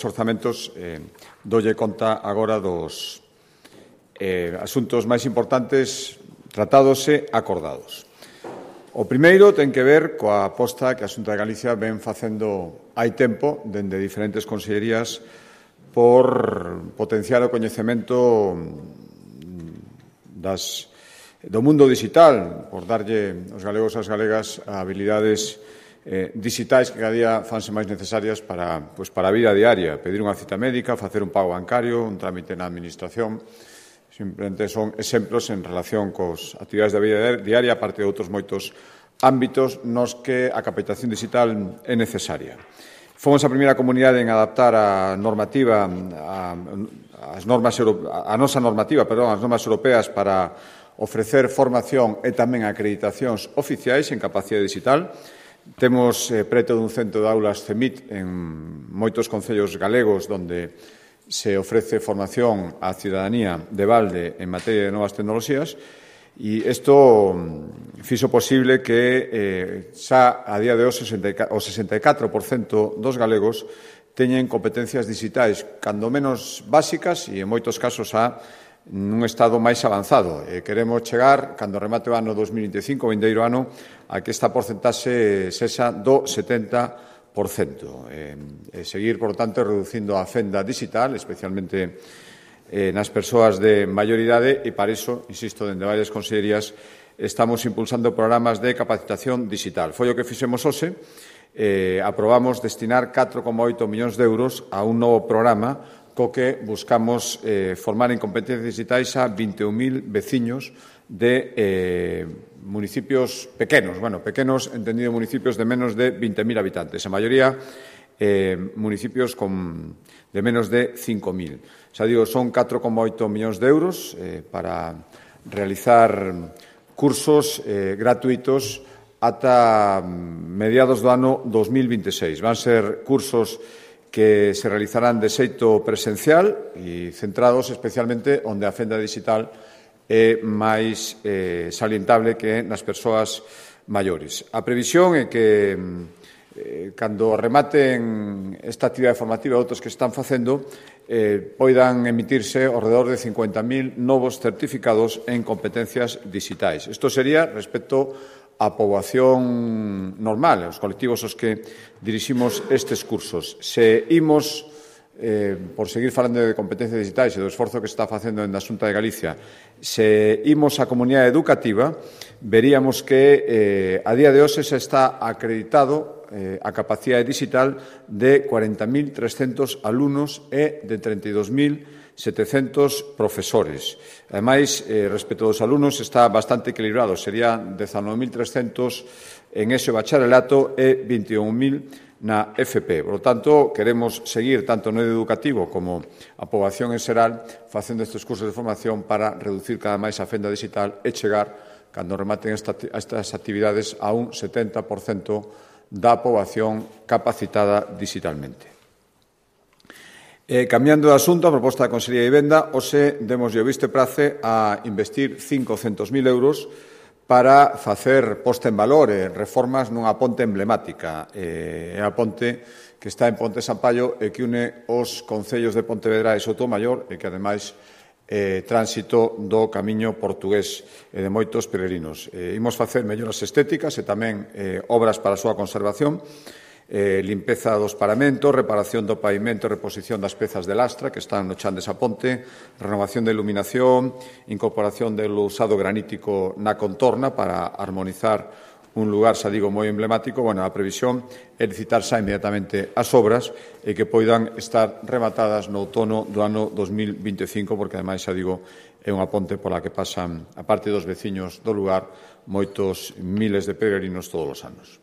orzamentos, dolle conta agora dos asuntos máis importantes tratados e acordados. O primeiro ten que ver coa aposta que a Xunta de Galicia ven facendo hai tempo, dende diferentes consellerías, por potenciar o coñecemento do mundo digital, por darlle aos galegos e as galegas a habilidades digitais que cada día fanse máis necesarias para a vida diaria, pedir unha cita médica, facer un pago bancario, un trámite na administración. Simplemente son exemplos en relación cos actividades da vida diaria, aparte de outros moitos ámbitos nos que a capacitación digital é necesaria. Fomos a primeira comunidade en adaptar a normativa, as normas europeas para ofrecer formación e tamén acreditacións oficiais en capacidade digital. Temos preto dun centro de aulas CEMIT en moitos concellos galegos onde se ofrece formación á cidadanía de balde en materia de novas tecnoloxías e isto fixo posible que xa a día de hoxe o 64% dos galegos teñen competencias digitais cando menos básicas e en moitos casos nun estado máis avanzado. Queremos chegar, cando remate o ano 2025, o vindeiro ano, a que esta porcentaxe sexa do 70%. Seguir, por tanto, reducindo a fenda digital, especialmente nas persoas de maior idade, e para iso, insisto, dende varias consellerías, estamos impulsando programas de capacitación digital. Foi o que fixemos hoxe. Aprobamos destinar 4,8 millóns de euros a un novo programa co que buscamos formar en competencias digitais a 21.000 veciños de municipios pequenos, pequenos entendido municipios de menos de 20.000 habitantes, a maioría municipios de menos de 5.000. Xa digo, son 4,8 millóns de euros para realizar cursos gratuitos ata mediados do ano 2026. Van ser cursos que se realizarán de xeito presencial e centrados especialmente onde a fenda digital é máis salientable que nas persoas maiores. A previsión é que cando rematen esta actividade formativa e outros que están facendo poidan emitirse ao redor de 50.000 novos certificados en competencias digitais. Isto sería respecto a poboación normal, os colectivos aos que diriximos estes cursos. Se imos, por seguir falando de competencias digitais e do esforzo que se está facendo na Xunta de Galicia, se imos á comunidade educativa, veríamos que a día de hoxe se está acreditado a capacidade digital de 40.300 alumnos e de 32.700 profesores. Ademais, respecto dos alumnos, está bastante equilibrado. Serían 19.300 en ese bacharelato e 21.000 na FP. Por lo tanto, queremos seguir tanto no educativo como a poboación en xeral facendo estes cursos de formación para reducir cada máis a fenda digital e chegar, cando rematen estas actividades, a un 70% da poboación capacitada digitalmente. Cambiando de asunto, a proposta da Consellería de Vivenda, hoxe demos o visto e prace a investir 500.000 euros para facer posta en valor e reformas nunha ponte emblemática. É a ponte que está en Ponte Sampaio e que une os concellos de Pontevedra e Soutomaior e que, ademais, tránsito do camiño portugués e de moitos peregrinos. Imos facer melloras estéticas e tamén obras para a súa conservación, limpeza dos paramentos, reparación do pavimento e reposición das pezas de lastra que están no chan desa ponte, renovación de iluminación, incorporación do usado granítico na contorna para armonizar un lugar, xa digo, moi emblemático. A previsión é licitar xa inmediatamente as obras e que poidan estar rematadas no outono do ano 2025, porque, ademais, xa digo, é unha ponte pola que pasan, a parte dos veciños do lugar, moitos miles de peregrinos todos os anos.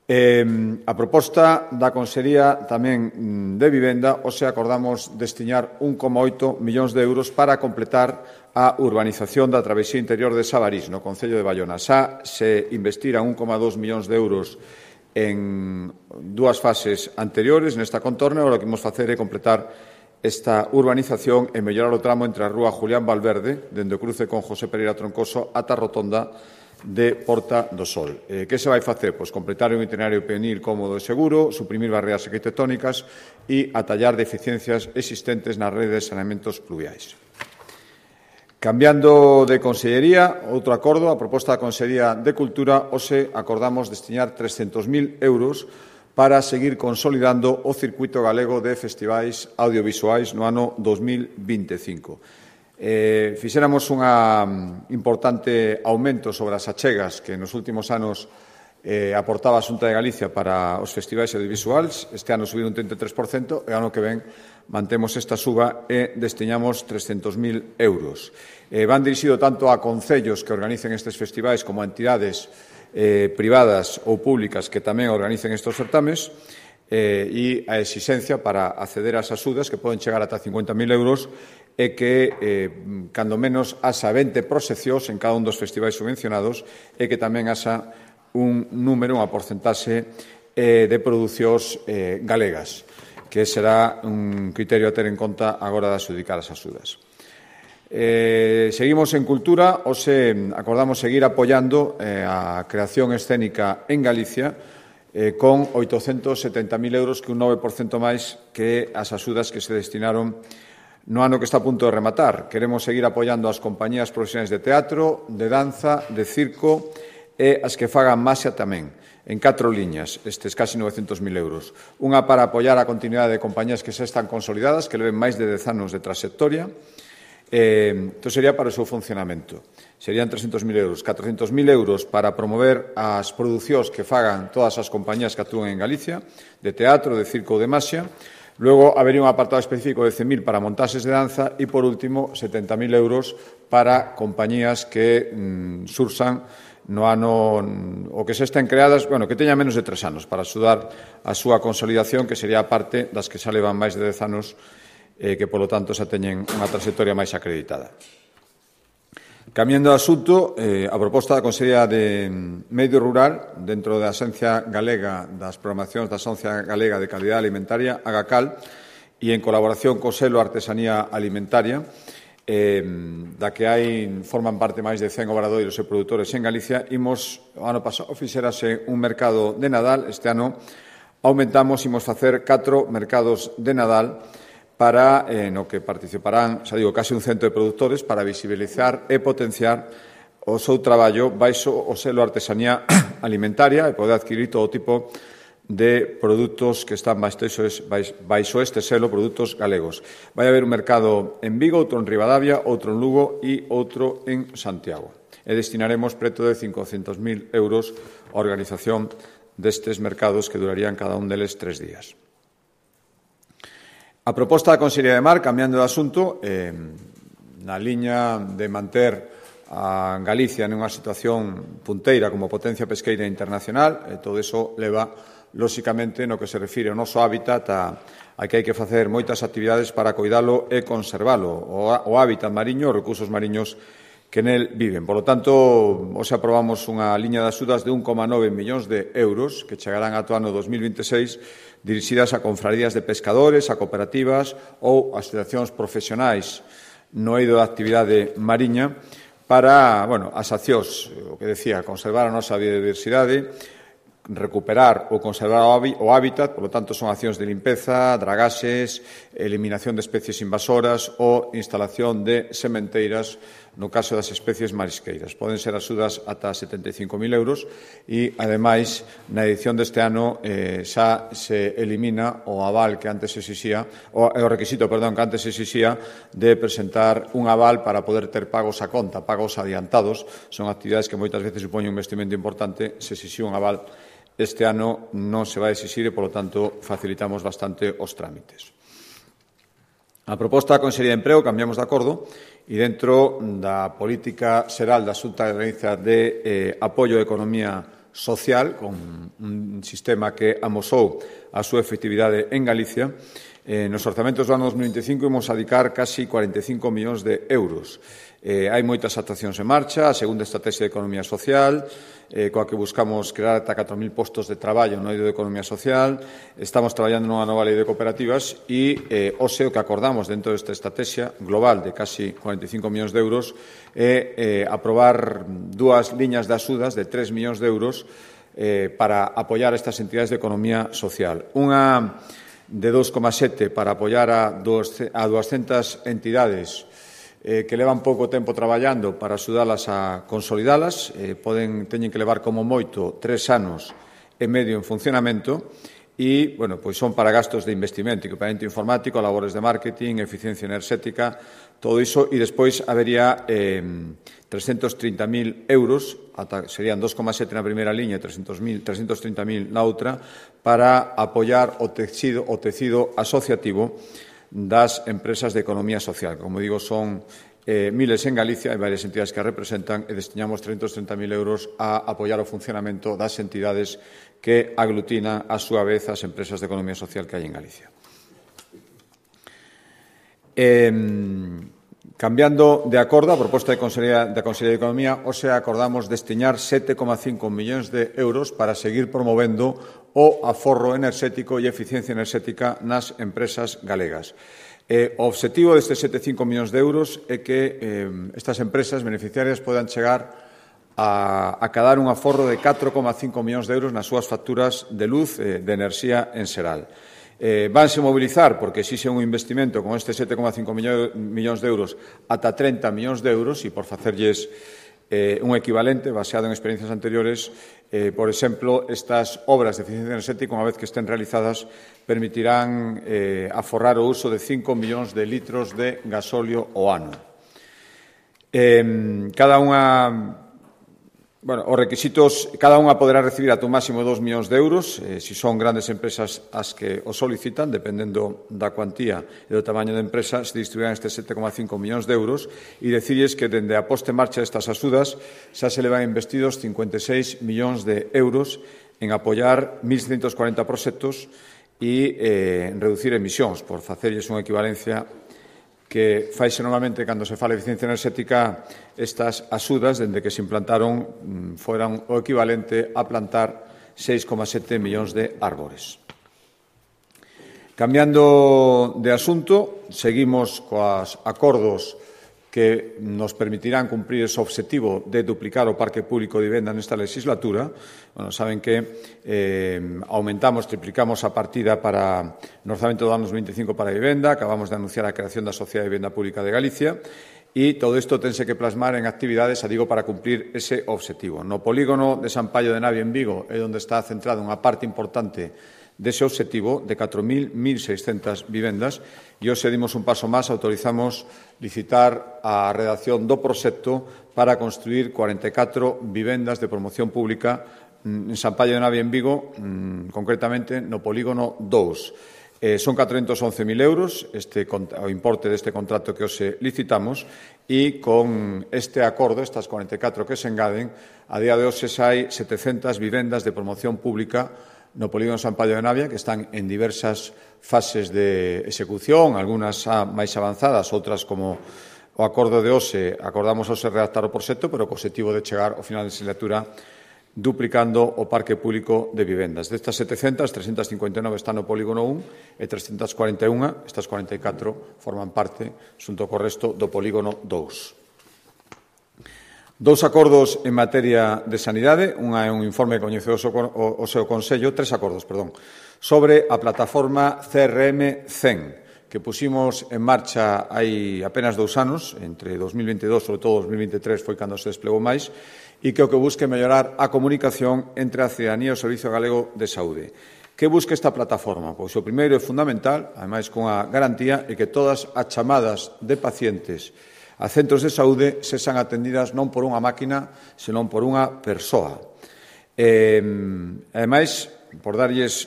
A proposta da Consellería tamén de Vivenda, hoxe acordamos destinar 1,8 millóns de euros para completar a urbanización da travesía interior de Sabarís, no concello de Baiona. Xa se investiran 1,2 millóns de euros en dúas fases anteriores nesta contorna, e o que imos facer é completar esta urbanización e mellorar o tramo entre a rúa Julián Valverde, dende o cruce con José Pereira Troncoso, ata a rotonda de Porta do Sol. Que se vai facer? Pois completar un itinerario peonil cómodo e seguro, suprimir barreras arquitectónicas e atallar deficiencias existentes nas redes de saneamentos pluviais. Cambiando de consellería, outro acordo, a proposta da Consellería de Cultura, hoxe acordamos destinar 300.000 euros para seguir consolidando o circuito galego de festivais audiovisuais no ano 2025. Fixéramos un importante aumento sobre as achegas que nos últimos anos aportaba a Xunta de Galicia para os festivais audiovisuais. Este ano subiu un 33% e ano que ven mantemos esta suba e destinamos 300.000 euros. Van dirixido tanto a concellos que organicen estes festivais como a entidades privadas ou públicas que tamén organicen estes certames e a exixencia para acceder ás axudas que poden chegar ata 50.000 euros e que, cando menos, haxa 20 proxeccións en cada un dos festivais subvencionados e que tamén haxa un número, unha porcentaxe de producións galegas, que será un criterio a ter en conta agora de adxudicar as axudas. Seguimos en cultura, hoxe acordamos seguir apoiando a creación escénica en Galicia con 870.000 euros, que un 9% máis que as axudas que se destinaron no ano que está a punto de rematar. Queremos seguir apoiando as compañías profesionais de teatro, de danza, de circo e as que fagan maxia tamén, en 4 liñas, estes casi 900.000 euros. Unha para apoiar a continuidade de compañías que xa están consolidadas, que leven máis de 10 anos de trayectoria. Isto sería para o seu funcionamento. Serían 300.000 euros. 400.000 euros para promover as producións que fagan todas as compañías que actúen en Galicia, de teatro, de circo ou de maxia. Logo, habería un apartado específico de 100.000 para montaxes de danza e, por último, 70.000 euros para compañías que sursan no ano o que se estén creadas, que teñan menos de 3 anos, para axudar a súa consolidación, que sería a parte das que xa levan máis de 10 anos que, polo tanto, xa teñen unha trayectoria máis acreditada. Cambiando de asunto, a proposta da Consellería de Medio Rural, dentro da Axencia Galega das Programacións da Axencia Galega de Calidade Alimentaria, AGACAL, e en colaboración co selo Artesanía Alimentaria, da que forman parte máis de 100 obradoiros e produtores en Galicia, o ano pasado fixérase un mercado de Nadal. Este ano aumentamos, imos facer 4 mercados de Nadal para no que participarán, case un cento de produtores, para visibilizar e potenciar o seu traballo baixo o selo Artesanía Alimentaria e poder adquirir todo tipo de produtos que están baixo este selo, produtos galegos. Vai haber un mercado en Vigo, outro en Ribadavia, outro en Lugo e outro en Santiago. E destinaremos preto de 500.000 euros á organización destes mercados, que durarían cada un deles 3 días. A proposta da Consellería de Mar, cambiando de asunto, na liña de manter a Galicia nunha situación punteira como potencia pesqueira internacional, e todo iso leva, lóxicamente, no que se refire ao noso hábitat, a que hai que facer moitas actividades para coidalo e conservalo, o hábitat mariño, os recursos mariños que nel viven. Por lo tanto, hoxe aprobamos unha liña de axudas de 1,9 millóns de euros que chegarán ata o ano 2026, dirixidas a confrarías de pescadores, a cooperativas ou a asociacións profesionais no eido da actividade mariña para, as accións, o que decía, conservar a nosa biodiversidade, recuperar ou conservar o hábitat, por lo tanto, son accións de limpeza, dragaxes, eliminación de especies invasoras ou instalación de sementeiras no caso das especies marisqueiras. Poden ser axudas ata 75.000 euros e, ademais, na edición deste ano xa se elimina o aval que antes exixía, o requisito, que antes exixía de presentar un aval para poder ter pagos a conta, pagos adiantados. Son actividades que moitas veces supoñen un investimento importante. Se exixía un aval, este ano non se vai exixir e, polo tanto, facilitamos bastante os trámites. A proposta da Consellería de Emprego, cambiamos de acordo, e dentro da política xeral da Xunta de Galicia de apoio á economía social, con un sistema que amosou a súa efectividade en Galicia, Nos orzamentos do ano 2025 imos adicar casi 45 millóns de euros. Hai moitas actuacións en marcha, a segunda estrategia de economía social, coa que buscamos crear ata 4.000 postos de traballo no eido de economía social. Estamos traballando nunha nova lei de cooperativas e hoxe o que acordamos dentro desta estrategia global de casi 45 millóns de euros é aprobar dúas liñas de axudas de 3 millóns de euros para apoiar estas entidades de economía social. Unha de 2,7 para apoiar a 200 entidades que levan pouco tempo traballando para axudalas a consolidalas. Teñen que levar como moito 3 anos e medio en funcionamento e, pois son para gastos de investimento, equipamento informático, labores de marketing, eficiencia enerxética, todo iso, e despois habería 330.000 euros, serían 2,7 na primeira liña e 330.000 na outra, para apoiar o tecido asociativo das empresas de economía social. Como digo, son miles en Galicia, hai varias entidades que a representan e destinamos 330.000 euros a apoiar o funcionamento das entidades que aglutinan a súa vez as empresas de economía social que hai en Galicia. Cambiando de acordo, a proposta da Consellería de Economía, hoxe acordamos destinar 7,5 millóns de euros para seguir promovendo o aforro enerxético e eficiencia enerxética nas empresas galegas. O obxectivo destes 7,5 millóns de euros é que estas empresas beneficiarias podan chegar a acadar un aforro de 4,5 millóns de euros nas súas facturas de luz de enerxía en xeral. Vanse mobilizar, porque exixe un investimento con este 7,5 millóns de euros ata 30 millóns de euros e por facerlles un equivalente baseado en experiencias anteriores, por exemplo, estas obras de eficiencia enerxética, unha vez que estén realizadas, permitirán aforrar o uso de 5 millóns de litros de gasóleo ao ano. Os requisitos, cada unha poderá recibir ata un máximo de 2 millóns de euros, se son grandes empresas as que o solicitan, dependendo da cuantía e do tamaño da empresa, se distribuirán estes 7,5 millóns de euros, e decirles que, dende a posta en marcha destas axudas, xa se levan investidos 56 millóns de euros en apoiar 1.640 proxectos e en reducir emisións, por facerlles unha equivalencia que faise normalmente cando se fala de eficiencia enerxética. Estas axudas, dende que se implantaron, foran o equivalente a plantar 6,7 millóns de árbores. Cambiando de asunto, seguimos coas acordos que nos permitirán cumprir ese obxectivo de duplicar o parque público de vivenda nesta legislatura. Saben que triplicamos a partida para no orzamento do ano 2025 para a vivenda, acabamos de anunciar a creación da Sociedade de Vivenda Pública de Galicia, e todo isto tense que plasmar en actividades, para cumprir ese obxectivo. No polígono de San Paio de Navia en Vigo é onde está centrada unha parte importante dese obxectivo de 4.600 vivendas, e hoxe dimos un paso máis, autorizamos licitar a redacción do proxecto para construir 44 vivendas de promoción pública en San Paio de Navia en Vigo, concretamente no polígono 2. Son 411.000 euros o importe deste contrato que hoxe licitamos, e con este acordo, estas 44 que se engaden, a día de hoxe xa hai 700 vivendas de promoción pública no polígono San Paio de Navia, que están en diversas fases de execución, algunhas máis avanzadas, outras, como o acordo de hoxe, acordamos hoxe redactar o proxecto, pero co objetivo de chegar ao final da legislatura duplicando o parque público de vivendas. Destas 700, 359 están no polígono 1 e 341, estas 44, forman parte, xunto co resto, do polígono 2. Dous acordos en materia de sanidade, unha é un informe que coñeceu o seu Consello, tres acordos, sobre a plataforma CRM 100, que puximos en marcha hai apenas 2 anos, entre 2022, sobre todo 2023, foi cando se desplegou máis, e que o que busca é mellorar a comunicación entre a cidadanía e o Servizo Galego de Saúde. Que busca esta plataforma? Pois o primeiro é fundamental, ademais con a garantía, é que todas as chamadas de pacientes a centros de saúde sexan atendidas non por unha máquina, senón por unha persoa. Ademais, por darlles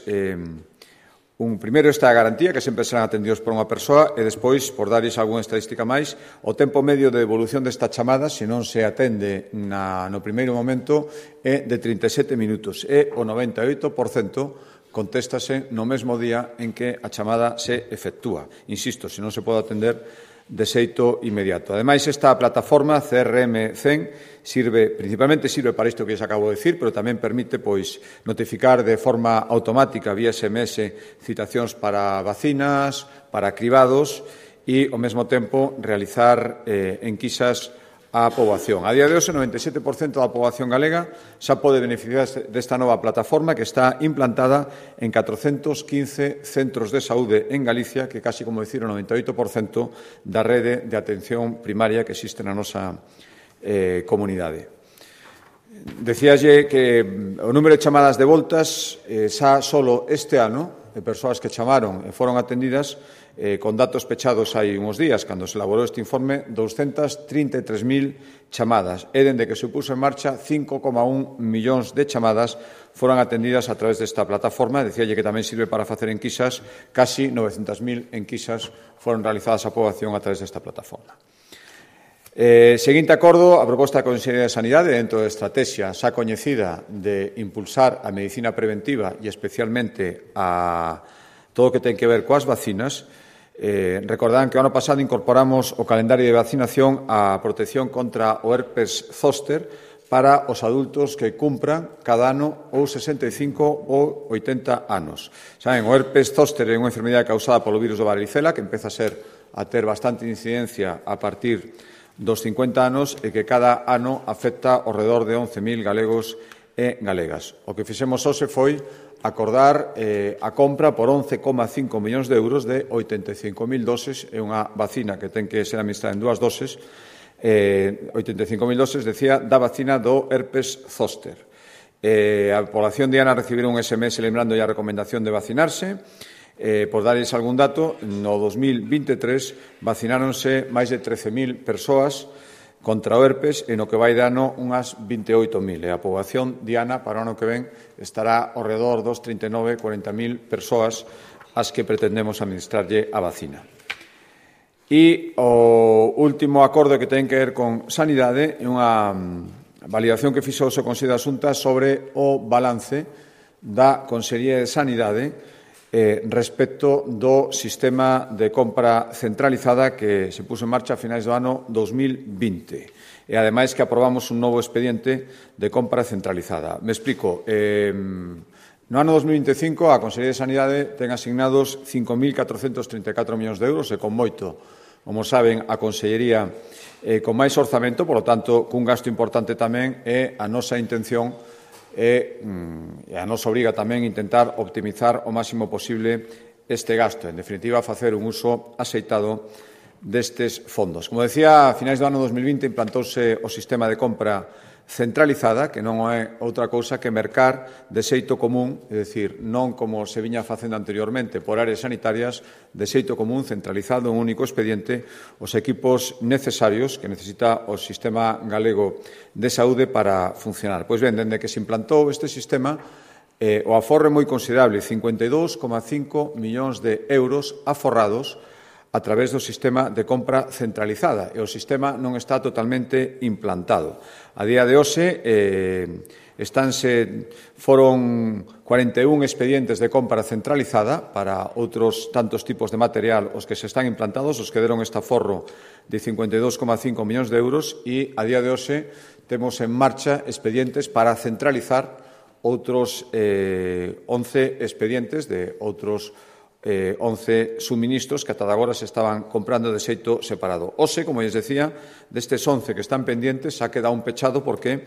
primeiro esta garantía, que sempre serán atendidos por unha persoa, e despois, por darlles algunha estadística máis, o tempo medio de devolución desta chamada, se non se atende no primeiro momento, é de 37 minutos, e o 98% contéstase no mesmo día en que a chamada se efectúa. Insisto, se non se pode atender de xeito inmediato. Ademais, esta plataforma CRM 100 principalmente sirve para isto que xa acabo de dicir, pero tamén permite notificar de forma automática vía SMS citacións para vacinas, para cribados e, ao mesmo tempo, realizar enquisas á poboación. A día de hoxe, o 97% da poboación galega xa pode beneficiar desta nova plataforma que está implantada en 415 centros de saúde en Galicia, que casi, como dicir, o 98% da rede de atención primaria que existe na nosa comunidade. Decíalle que o número de chamadas de voltas xa solo este ano, de persoas que chamaron e foron atendidas, con datos pechados hai uns días, cando se elaborou este informe, 233.000 chamadas. E, dende que se puso en marcha, 5,1 millóns de chamadas foron atendidas a través desta plataforma. Decíalle que tamén sirve para facer enquisas. Casi 900.000 enquisas foron realizadas á poboación a través desta plataforma. Seguinte acordo, a proposta da Consellería de Sanidade, dentro da estrategia xa coñecida de impulsar a medicina preventiva e especialmente a todo o que ten que ver coas vacinas. Recordarán que o ano pasado incorporamos o calendario de vacinación a protección contra o herpes zóster para os adultos que cumpran cada ano ou 65 ou 80 anos. Saben, o herpes zóster é unha enfermedade causada polo virus do varicela que empeza a ter bastante incidencia a partir dos 50 anos e que cada ano afecta ao redor de 11.000 galegos e galegas. O que fixemos hoxe foi acordar a compra por 11,5 millóns de euros de 85.000 doses. É unha vacina que ten que ser administrada en 2 doses. 85.000 doses, decía, da vacina do herpes zóster. A población diana recibirá un SMS lembrando a recomendación de vacinarse. Por darles algún dato, no 2023 vacináronse máis de 13.000 persoas contra o herpes e no que vai de ano unhas 28.000. E a poboación diana para o ano que ven estará ao redor dos 39-40.000 persoas as que pretendemos administrarlle a vacina. E o último acordo que ten que ver con sanidade é unha validación que fixo o Consello de Asuntas sobre o balance da Consellería de Sanidade respecto do sistema de compra centralizada que se puso en marcha a finais do ano 2020. E, ademais, que aprobamos un novo expediente de compra centralizada. Me explico. No ano 2025, a Consellería de Sanidade ten asignados 5.434 millóns de euros e con moito, como saben, a Consellería con máis orzamento, por lo tanto, cun gasto importante tamén, e a nosa intención e a nos obriga tamén intentar optimizar o máximo posible este gasto. En definitiva, facer un uso axeitado destes fondos. Como decía, a finais do ano 2020 implantouse o sistema de compra centralizada, que non é outra cousa que mercar de xeito común, é dicir, non como se viña facendo anteriormente por áreas sanitarias, de xeito común, centralizado en un único expediente, os equipos necesarios que necesita o sistema galego de saúde para funcionar. Pois ben, dende que se implantou este sistema, o aforro é moi considerable, 52,5 millóns de euros aforrados a través do sistema de compra centralizada, e o sistema non está totalmente implantado. A día de hoxe foron 41 expedientes de compra centralizada para outros tantos tipos de material os que se están implantados, os que deron este aforro de 52,5 millóns de euros, e a día de hoxe temos en marcha expedientes para centralizar outros 11 expedientes de outros 11 suministros que ata agora se estaban comprando de xeito separado. Hoxe, como lles decía, destes 11 que están pendientes, xa queda un pechado porque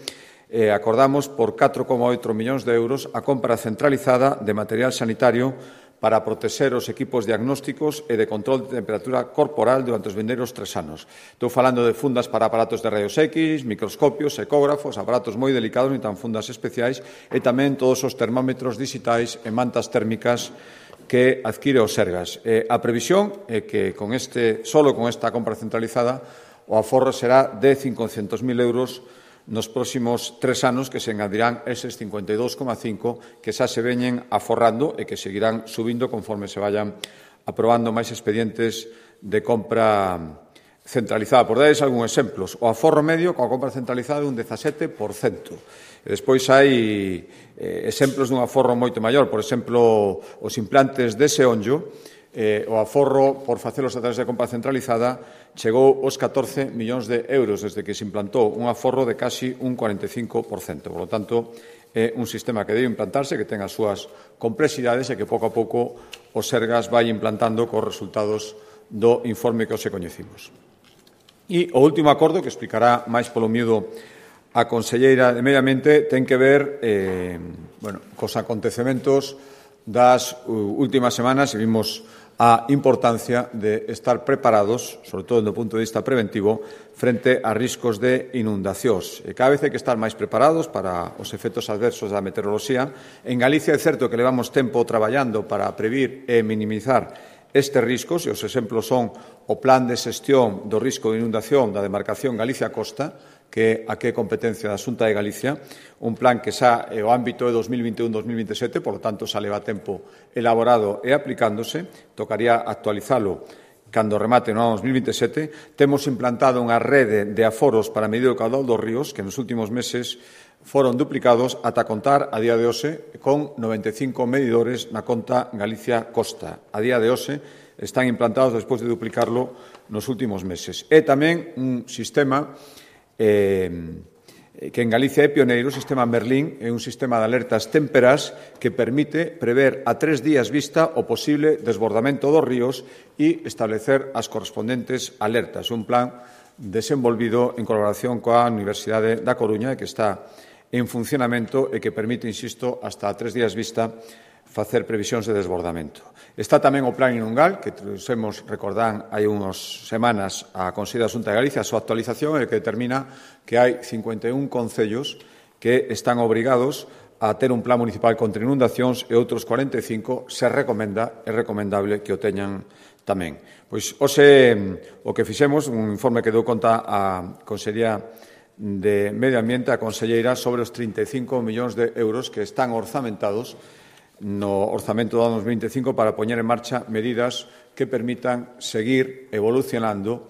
acordamos por 4,8 millóns de euros a compra centralizada de material sanitario para protexer os equipos diagnósticos e de control de temperatura corporal durante os vindeiros 3 anos. Estou falando de fundas para aparatos de rayos X, microscopios, ecógrafos, aparatos moi delicados, ni tan fundas especiais, e tamén todos os termómetros digitais e mantas térmicas que adquire o Sergas. A previsión é que solo con esta compra centralizada o aforro será de 500.000 euros nos próximos 3 anos, que se engadirán eses 52,5 que xa se veñen aforrando e que seguirán subindo conforme se vayan aprobando máis expedientes de compra centralizada. Por darles algúns exemplos, o aforro medio coa compra centralizada é un 17%. E despois hai exemplos dun aforro moito maior. Por exemplo, os implantes de Seonllo, o aforro por facelos a través de compra centralizada chegou aos 14 millóns de euros desde que se implantou, un aforro de casi un 45%. Por lo tanto, é un sistema que debe implantarse, que ten as súas complexidades e que pouco a pouco o Sergas vai implantando cos resultados do informe que hoxe coñecimos. E o último acordo, que explicará máis polo miúdo a conselleira de Medio Ambiente, ten que ver cos acontecementos das últimas semanas e vimos a importancia de estar preparados, sobre todo do punto de vista preventivo, frente a riscos de inundacións. E cada vez hai que estar máis preparados para os efectos adversos da meteoroloxía. En Galicia é certo que levamos tempo traballando para previr e minimizar estes riscos, e os exemplos son o Plan de Xestión do Risco de Inundación da demarcación Galicia-Costa, que é competencia da Xunta de Galicia, un plan que xa o ámbito é 2021-2027, por lo tanto xa leva tempo elaborado e aplicándose, tocaría actualizalo cando remate no ano 2027. Temos implantado unha rede de aforos para medir o caudal dos ríos, que nos últimos meses foron duplicados ata contar a día de hoxe con 95 medidores na conta Galicia-Costa. A día de hoxe están implantados despois de duplicarlo nos últimos meses. É tamén un sistema que en Galicia é pioneiro, o sistema Merlín, é un sistema de alertas témperas que permite prever a 3 días vista o posible desbordamento dos ríos e establecer as correspondentes alertas. Un plan desenvolvido en colaboración coa Universidade da Coruña, que está en funcionamento e que permite, insisto, hasta a 3 días vista facer previsións de desbordamento. Está tamén o Plan Inungal, que trouxemos, recordán, hai unhas semanas a Consello da Xunta de Galicia, a súa actualización, e que determina que hai 51 concellos que están obrigados a ter un plan municipal contra inundacións e outros 45 é recomendable que o teñan tamén. Pois hoxe o que fixemos, un informe que deu conta a Consellería de Medio Ambiente, a conselleira, sobre os 35 millóns de euros que están orzamentados no orzamento do ano 2025 para poñer en marcha medidas que permitan seguir evolucionando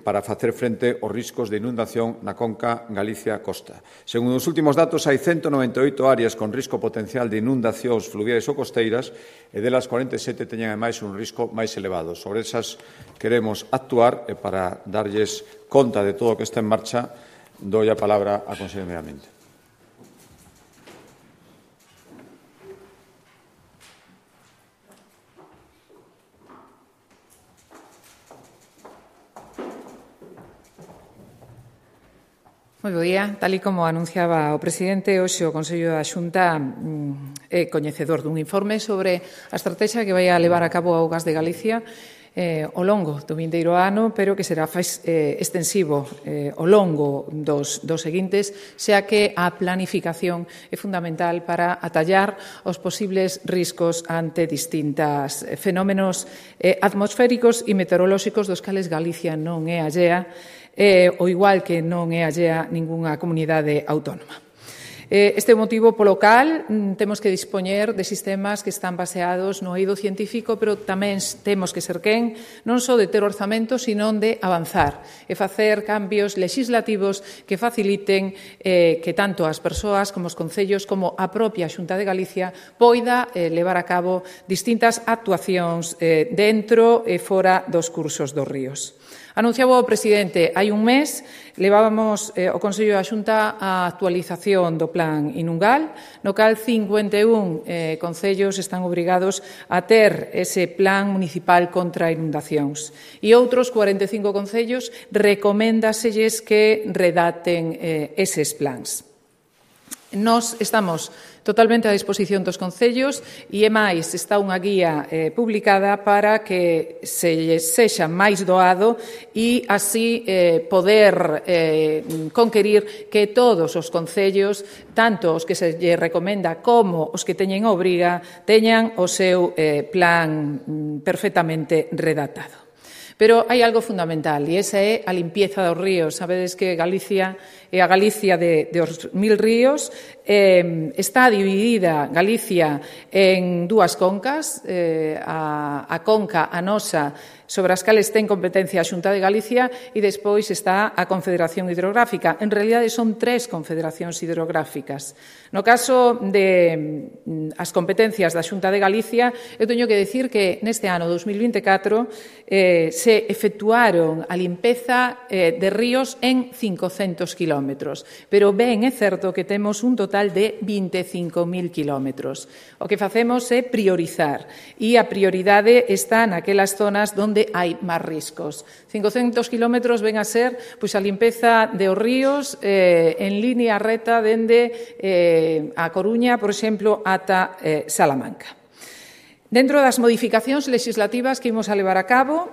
para facer frente aos riscos de inundación na conca Galicia-Costa. Segundo os últimos datos, hai 198 áreas con risco potencial de inundacións fluviais ou costeiras e delas 47 teñen ademais un risco máis elevado. Sobre esas queremos actuar e para darlles conta de todo o que está en marcha, dou a palabra á Conselleira de Medio Ambiente. Moi bo día. Tal e como anunciaba o presidente, hoxe o Consello da Xunta é coñecedor dun informe sobre a estratexia que vai a levar a cabo a Augas de Galicia ao longo do vindeiro ano, pero que será extensivo ao longo dos seguintes, xa que a planificación é fundamental para atallar os posibles riscos ante distintos fenómenos atmosféricos e meteorolóxicos dos cales Galicia non é allea, o igual que non é allea ningunha comunidade autónoma. Este é o motivo polo cal temos que dispoñer de sistemas que están baseados no eido científico, pero tamén temos que ser quen non só de ter orzamento, sino de avanzar e facer cambios legislativos que faciliten que tanto as persoas como os concellos como a propia Xunta de Galicia poida levar a cabo distintas actuacións dentro e fora dos cursos dos ríos. Anunciaba o presidente, hai un mes levábamos o Consello da Xunta a actualización do Plan Inungal, no cal 51 concellos están obrigados a ter ese plan municipal contra inundacións. E outros 45 concellos recoméndaselles que redacten eses plans. Nós estamos totalmente a disposición dos concellos e, é máis, está unha guía publicada para que se sexa máis doado e así poder conquerir que todos os concellos, tanto os que se lle recomenda como os que teñen obriga, teñan o seu plan perfectamente redactado. Pero hai algo fundamental, e esa é a limpieza dos ríos. Sabedes que Galicia é a Galicia dos 1000 ríos. Está dividida Galicia en dúas concas, a conca, a nosa, sobre as cales ten competencia a Xunta de Galicia, e despois está a Confederación Hidrográfica. En realidade son 3 confederacións hidrográficas. No caso de as competencias da Xunta de Galicia, eu teño que decir que neste ano 2024 se efectuaron a limpeza de ríos en 500 kilómetros, pero ben é certo que temos un total de 25.000 kilómetros. O que facemos é priorizar, e a prioridade está naquelas zonas onde hai máis riscos. 500 kilómetros ven a ser pois, a limpeza de os ríos en línea reta dende a Coruña, por exemplo, ata Salamanca. Dentro das modificacións legislativas que imos a levar a cabo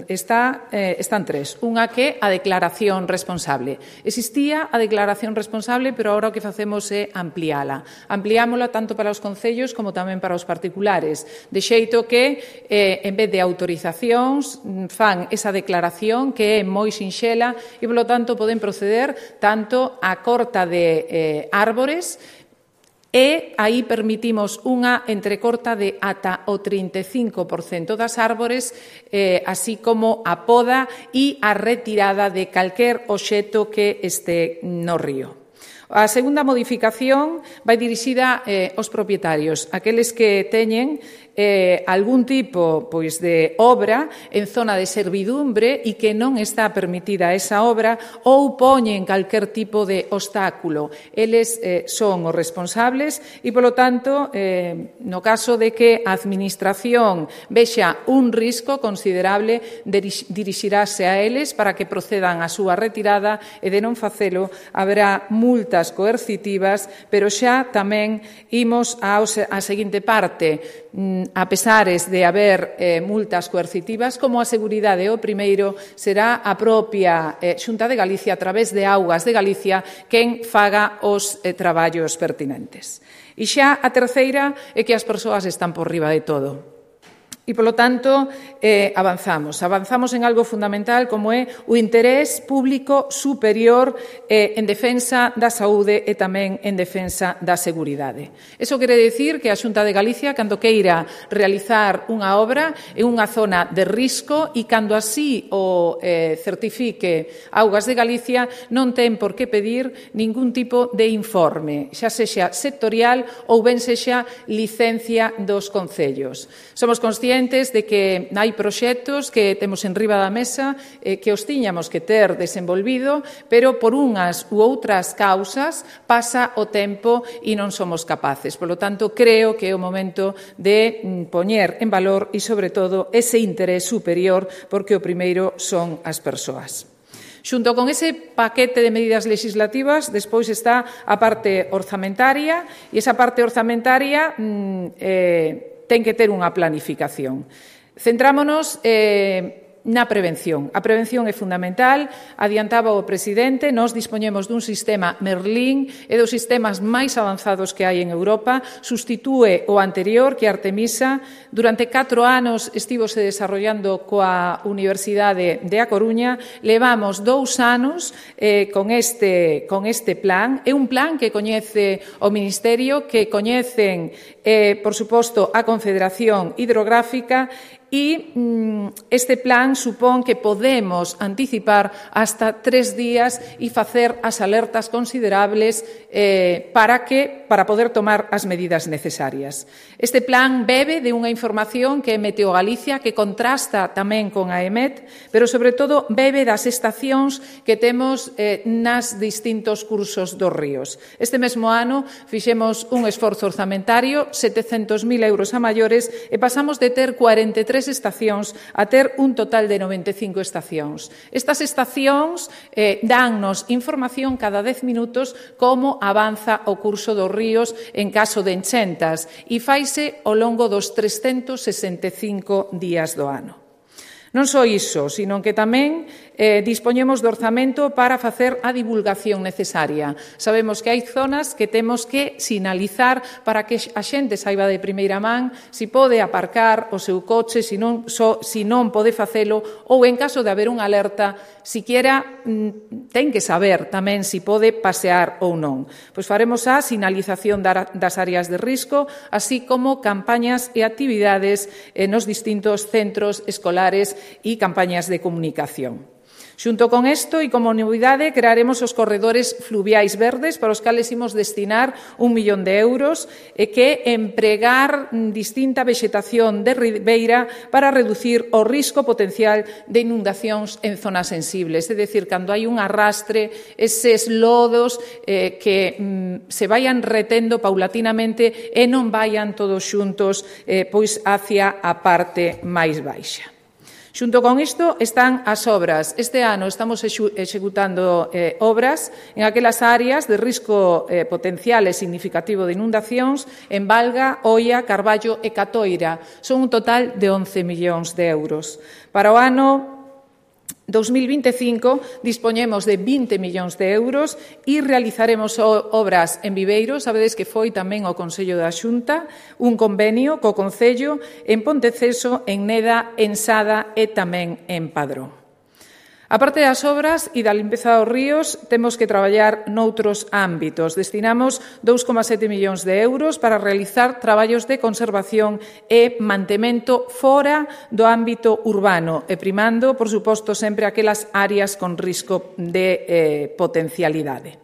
están 3. Unha que é a declaración responsable. Existía a declaración responsable, pero agora o que facemos é ampliála. Ampliámola tanto para os concellos como tamén para os particulares, de xeito que, en vez de autorizacións, fan esa declaración que é moi sinxela e, polo tanto, poden proceder tanto a corta de árbores, e aí permitimos unha entrecorta de ata o 35% das árbores, así como a poda e a retirada de calquer obxecto que este no río. A segunda modificación vai dirixida aos propietarios, aqueles que teñen algún tipo pois, de obra en zona de servidumbre e que non está permitida esa obra ou poñen calquer tipo de obstáculo. Eles son os responsables e, polo tanto, no caso de que a Administración vexa un risco considerable, dirixirase a eles para que procedan a súa retirada e, de non facelo, haberá multas coercitivas, pero xa tamén imos á seguinte parte. A pesares de haber multas coercitivas, como a seguridade o primeiro, será a propia Xunta de Galicia, a través de Augas de Galicia, quen faga os traballos pertinentes. E xa a terceira é que as persoas están por riba de todo. E, polo tanto, avanzamos en algo fundamental como é o interés público superior en defensa da saúde e tamén en defensa da seguridade. Iso quere dicir que a Xunta de Galicia, cando queira realizar unha obra en unha zona de risco e cando así o certifique Augas de Galicia, non ten por que pedir ningún tipo de informe, xa sexa sectorial ou ben sexa licencia dos concellos. Somos conscientes de que hai proxectos que temos en riba da mesa que os tiñamos que ter desenvolvido, pero por unhas u outras causas pasa o tempo e non somos capaces. Por lo tanto, creo que é o momento de poñer en valor e, sobre todo, ese interés superior, porque o primeiro son as persoas. Xunto con ese paquete de medidas legislativas, despois está a parte orzamentaria, e esa parte orzamentaria ten que ter unha planificación. Centrámonos na prevención. A prevención é fundamental, adiantaba o presidente, nós dispoñemos dun sistema Merlín e dos sistemas máis avanzados que hai en Europa, sustitúe o anterior, que é Artemisa. Durante 4 anos estivose desarrollando coa Universidade de A Coruña, levamos 2 anos con este plan. É un plan que coñece o Ministerio, que coñecen, por suposto, a Confederación Hidrográfica, e este plan supón que podemos anticipar hasta 3 días e facer as alertas considerables para poder tomar as medidas necesarias. Este plan bebe de unha información que é Meteo Galicia, que contrasta tamén con a EMET, pero sobre todo bebe das estacións que temos nas distintos cursos dos ríos. Este mesmo ano fixemos un esforzo orzamentario, 700.000 euros a maiores, e pasamos de ter 43 estacións a ter un total de 95 estacións. Estas estacións dannos información cada 10 minutos como avanza o curso dos ríos en caso de enchentas e faise ao longo dos 365 días do ano. Non só iso, sino que tamén dispoñemos do orzamento para facer a divulgación necesaria. Sabemos que hai zonas que temos que sinalizar para que a xente saiba de primeira man si pode aparcar o seu coche, si non pode facelo, ou en caso de haber unha alerta, siquiera ten que saber tamén si pode pasear ou non. Pois faremos a sinalización das áreas de risco, así como campañas e actividades nos distintos centros escolares e campañas de comunicación. Xunto con isto e como novidade, crearemos os corredores fluviais verdes para os cales imos destinar 1 millón de euros e que empregar distinta vexetación de ribeira para reducir o risco potencial de inundacións en zonas sensibles. É dicir, cando hai un arrastre, eses lodos que se vayan retendo paulatinamente e non vayan todos xuntos pois hacia a parte máis baixa. Xunto con isto están as obras. Este ano estamos executando obras en aquelas áreas de risco potencial e significativo de inundacións en Valga, Oia, Carballo e Catoira. Son un total de 11 millóns de euros. Para o ano 2025 dispoñemos de 20 millóns de euros e realizaremos obras en Viveiro. Sabedes que foi tamén o Consello da Xunta un convenio co Concello en Ponteceso, en Neda, en Sada e tamén en Padrón. A parte das obras e da limpeza dos ríos, temos que traballar noutros ámbitos. Destinamos 2,7 millóns de euros para realizar traballos de conservación e mantemento fora do ámbito urbano e primando, por suposto, sempre aquelas áreas con risco de potencialidade.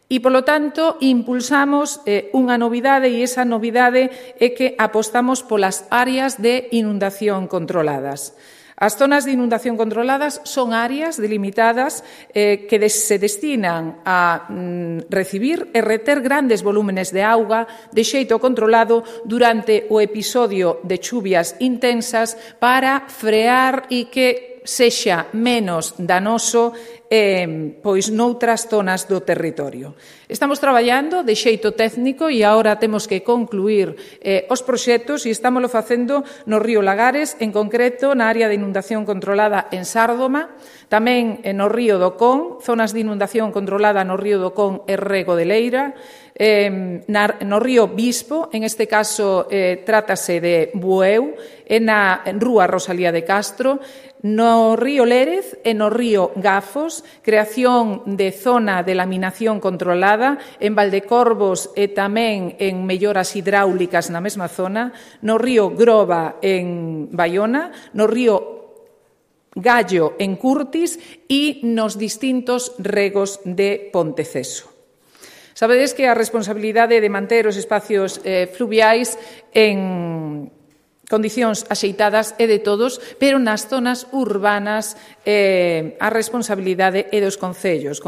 E, polo tanto, impulsamos unha novidade e esa novidade é que apostamos polas áreas de inundación controladas. As zonas de inundación controladas son áreas delimitadas que se destinan a recibir e reter grandes volúmenes de auga de xeito controlado durante o episodio de chuvias intensas para frear e que sexa menos danoso pois noutras zonas do territorio. Estamos traballando de xeito técnico e agora temos que concluir os proxectos e estámoslo facendo no río Lagares, en concreto na área de inundación controlada en Sárdoma, tamén no río do Con, zonas de inundación controlada no río do Con e Rego de Leira, no río Bispo, en este caso trátase de Bueu, na Rúa Rosalía de Castro, no río Lérez e no río Gafos, creación de zona de laminación controlada en Valdecorvos e tamén en melloras hidráulicas na mesma zona, no río Groba en Baiona, no río Gallo en Curtis e nos distintos regos de Ponteceso. Sabedes que a responsabilidade de manter os espacios fluviais en condicións axeitadas é de todos, pero nas zonas urbanas a responsabilidade é dos concellos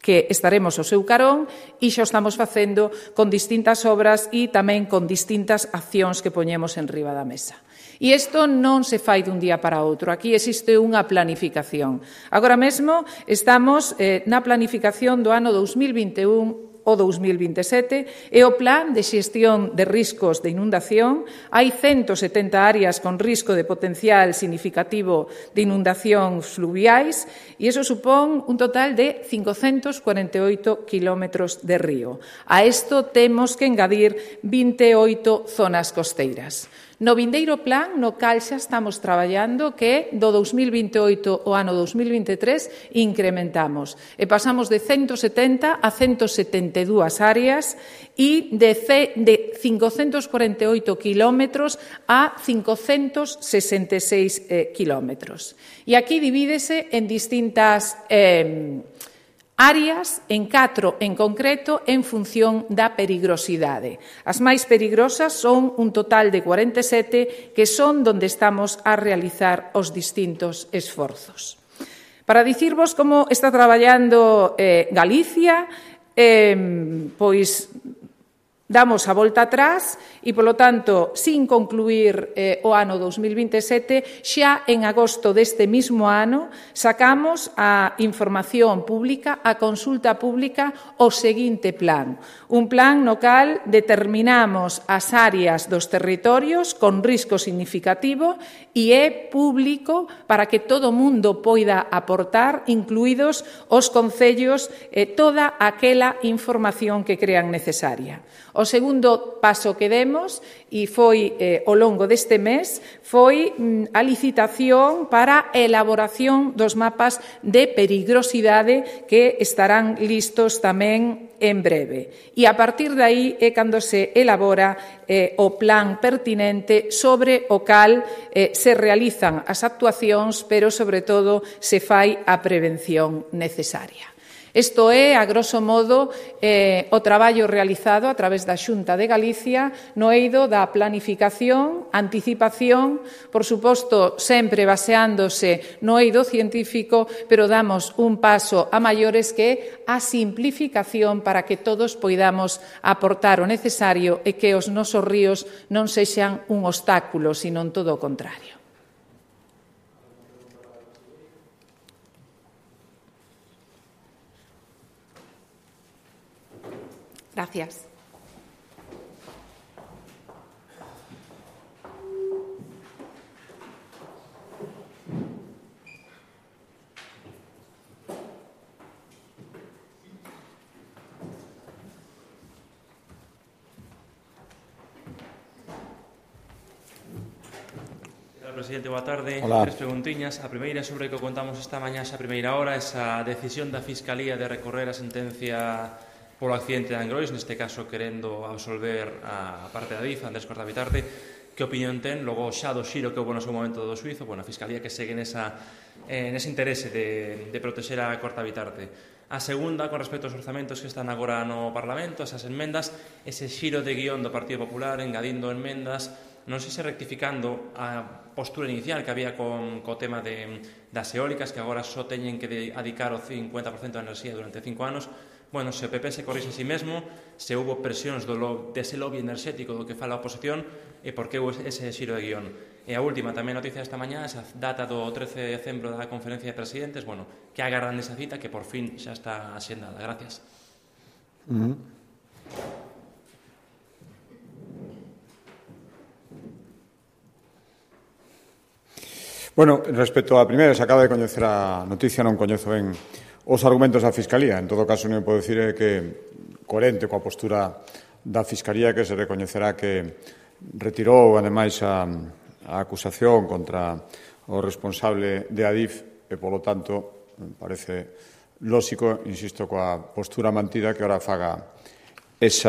que estaremos ao seu carón e xa o estamos facendo con distintas obras e tamén con distintas accións que poñemos en riba da mesa. E isto non se fai dun día para outro. Aquí existe unha planificación. Agora mesmo estamos na planificación do ano 2021 o 2027 e o plan de xestión de riscos de inundación. Hai 170 áreas con risco de potencial significativo de inundación fluviais e iso supón un total de 548 kilómetros de río. A isto temos que engadir 28 zonas costeiras. No vindeiro plan, no cal xa estamos traballando, que do 2028 ao ano 2023 incrementamos e pasamos de 170 a 172 áreas e de 548 kilómetros a 566 kilómetros. E aquí divídese en distintas áreas, en 4 en concreto, en función da perigrosidade. As máis perigrosas son un total de 47, que son donde estamos a realizar os distintos esforzos. Para dicirvos como está traballando Galicia, pois Damos a volta atrás e, polo tanto, sin concluir o ano 2027, xa en agosto deste mismo ano sacamos a información pública, a consulta pública, o seguinte plan. Un plan no cal determinamos as áreas dos territorios con risco significativo e é público para que todo o mundo poida aportar, incluídos os concellos, toda aquela información que crean necesaria. O segundo paso que demos, e foi ao longo deste mes, foi a licitación para a elaboración dos mapas de perigrosidade que estarán listos tamén en breve. E a partir de aí é cando se elabora o plan pertinente sobre o cal se realizan as actuacións, pero, sobre todo, se fai a prevención necesaria. Isto é, a grosso modo, o traballo realizado a través da Xunta de Galicia no eido da planificación, anticipación, por suposto, sempre baseándose no eido científico, pero damos un paso a maiores que é a simplificación para que todos poidamos aportar o necesario e que os nosos ríos non sexan un obstáculo, sino todo o contrario. Gracias. Presidente, boa tarde. Hola. 3 preguntiñas. A primeira sobre que contamos esta mañá esa primeira hora, esa decisión da Fiscalía de recorrer a sentencia polo accidente de Angrois, neste caso querendo absolver a parte da DIF, Andrés Cortabitarte. Que opinión ten, logo xa do xiro que houve no seu momento do xuizo, a Fiscalía que segue nese interese de protexer a Cortabitarte. A segunda, con respecto aos orzamentos que están agora no Parlamento, esas enmendas, ese xiro de guión do Partido Popular, engadindo enmendas, non sei se rectificando a postura inicial que había co tema das eólicas, que agora só teñen que dedicar o 50% da enerxía durante 5 anos. Bueno, se o PP se corrixe a si mesmo, se houve presións dese lobby enerxético do que fala a oposición, e por que houve ese xiro de guión. E a última, tamén noticia esta mañá, esa data do 13 de decembro da conferencia de presidentes, que agardan esa cita que por fin xa está axendada. Gracias. Bueno, respecto á primeira, se acaba de coñecer a noticia, non coñezo ben os argumentos da Fiscalía. En todo caso, non podo dicir que coherente coa postura da Fiscalía, que se recoñecerá que retirou, ademais, a acusación contra o responsable de Adif e, polo tanto, me parece lóxico, insisto, coa postura mantida que ora faga ese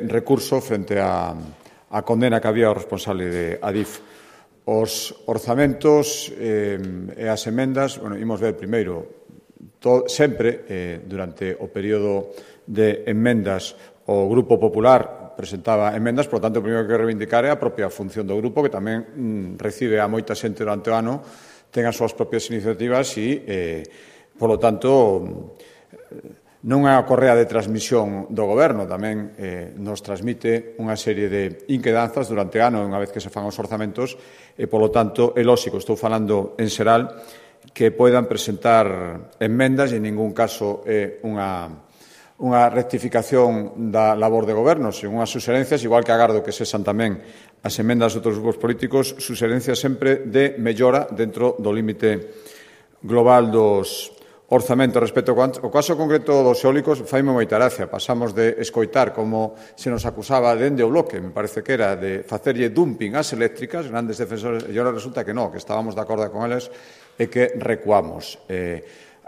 recurso frente a condena que había ao responsable de Adif. Os orzamentos e as emendas, imos ver primeiro, sempre, durante o período de enmendas, o Grupo Popular presentaba emendas, por lo tanto, o primeiro que reivindicar é a propia función do grupo, que tamén recibe a moita xente durante o ano, ten as súas propias iniciativas e, por lo tanto, non é a correa de transmisión do Goberno, tamén nos transmite unha serie de inquedanzas durante o ano, unha vez que se fan os orzamentos, e, polo tanto, é lóxico, estou falando en xeral, que poidan presentar enmendas e en ningún caso é unha rectificación da labor de Goberno, sen unhas suxerencias, igual que agardo que sexan tamén as emendas de outros grupos políticos, suxerencias sempre de mellora dentro do límite global dos orzamento. Respecto ao caso concreto dos eólicos, faime moita gracia. Pasamos de escoitar como se nos acusaba dende o bloque, me parece que era, de facerlle dumping ás eléctricas, grandes defensores, e agora resulta que non, que estábamos de acordo con eles e que recuamos.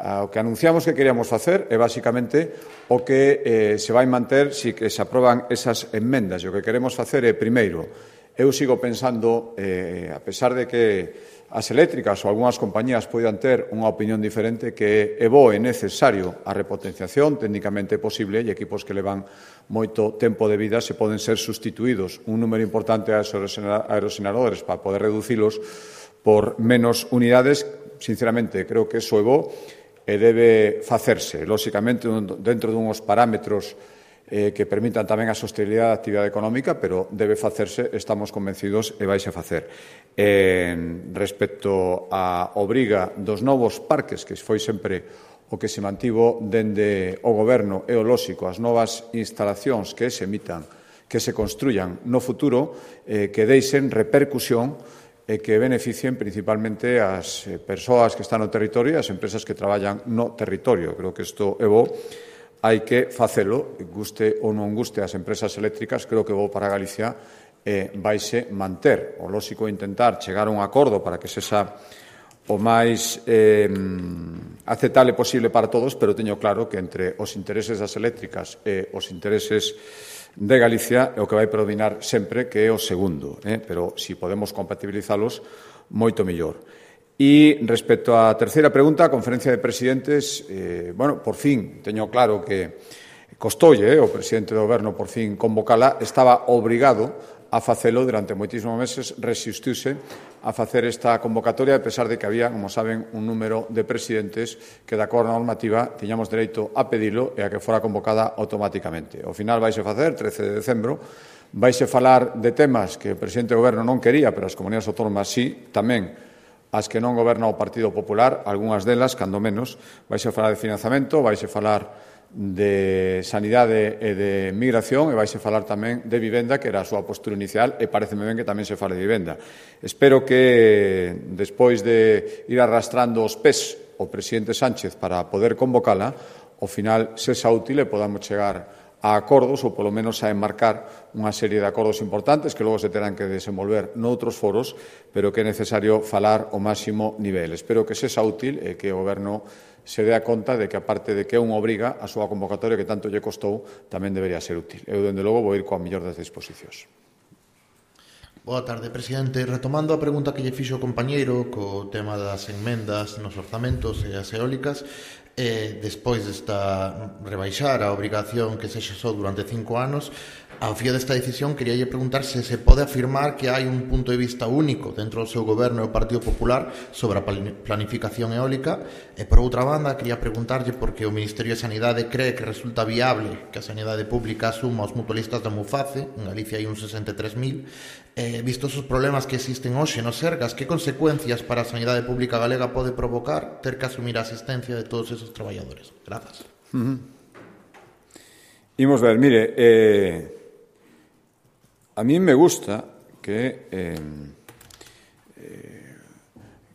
O que anunciamos que queríamos facer é basicamente o que se vai manter si que se aproban esas enmendas. E o que queremos facer é, primeiro, eu sigo pensando, a pesar de que as eléctricas ou algunhas compañías poidan ter unha opinión diferente, que é bo e necesario a repotenciación, técnicamente posible, e equipos que levan moito tempo de vida se poden ser sustituídos un número importante de aerogeneradores para poder reducilos por menos unidades. Sinceramente, creo que eso é bo. e debe facerse, lóxicamente, dentro dunhos parámetros que permitan tamén a sostenibilidade da actividade económica, pero debe facerse, estamos convencidos, e vaise facer. Respecto á obriga dos novos parques, que foi sempre o que se mantivo dende o Goberno, e o lóxico, as novas instalacións que se emitan, que se construyan no futuro, que deixen repercusión e que beneficien principalmente as persoas que están no territorio e as empresas que traballan no territorio. Creo que isto é bo. Hai que facelo, guste ou non guste as empresas eléctricas, creo que bo para Galicia vaise manter. O lóxico intentar chegar a un acordo para que sexa o máis aceptable posible para todos, pero teño claro que entre os intereses das eléctricas e os intereses de Galicia é o que vai predominar sempre, que é o segundo, pero se podemos compatibilizalos, moito mellor. E respecto á terceira pregunta, a conferencia de presidentes, por fin, teño claro que costoulle o presidente do Goberno por fin convocala, estaba obrigado a facelo durante moitísimos meses, resistiuse a facer esta convocatoria, a pesar de que había, como saben, un número de presidentes que, de acordo á normativa, tiñamos dereito a pedilo e a que fora convocada automáticamente. Ao final vaise facer, 13 de decembro, vaise falar de temas que o presidente do Goberno non quería, pero as comunidades autónomas sí, tamén as que non goberna o Partido Popular, algunhas delas, cando menos, vaise falar de financiamento, vaise falar de sanidade e de migración e vaise falar tamén de vivenda, que era a súa postura inicial, e pareceme ben que tamén se fale de vivenda. Espero que, despois de ir arrastrando os pés o presidente Sánchez para poder convocala, ao final sexa útil e podamos chegar a acordos ou, polo menos, a enmarcar unha serie de acordos importantes que logo se terán que desenvolver noutros foros, pero que é necesario falar o máximo nivel. Espero que sexa útil e que o Goberno se dea conta de que, aparte de que é unha obriga, a súa convocatoria que tanto lle costou tamén debería ser útil. Eu, dende logo, vou ir coa mellor das disposicións. Boa tarde, presidente. Retomando a pregunta que lle fixo o compañeiro co tema das enmendas nos orzamentos e as eólicas, despois desta rebaixar a obrigación que se xesou durante 5 anos, ao fío desta decisión queríalle preguntar se se pode afirmar que hai un punto de vista único dentro do seu goberno e o Partido Popular sobre a planificación eólica, e por outra banda quería preguntarlle porque o Ministerio de Sanidade cree que resulta viable que a sanidade pública asuma os mutualistas da Muface, en Galicia hai uns 63.000, vistos os problemas que existen hoxe nos Sergas, que consecuencias para a sanidade pública galega pode provocar ter que asumir a asistencia de todos esos traballadores? Grazas. Imos ver, mire, a mí me gusta que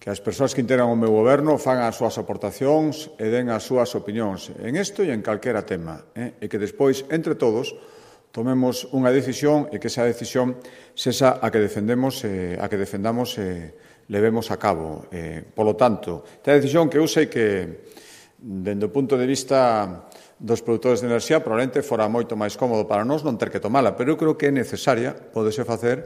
as persoas que integran o meu goberno fagan as súas aportacións e den as súas opinións en isto e en calquera tema, e que despois, entre todos, tomemos unha decisión e que esa decisión sexa a que defendamos e levemos a cabo. Polo tanto, esta decisión que eu sei que, dende o punto de vista dos produtores de enerxía, probablemente fora moito máis cómodo para nós non ter que tomala, pero eu creo que é necesaria, podese facer,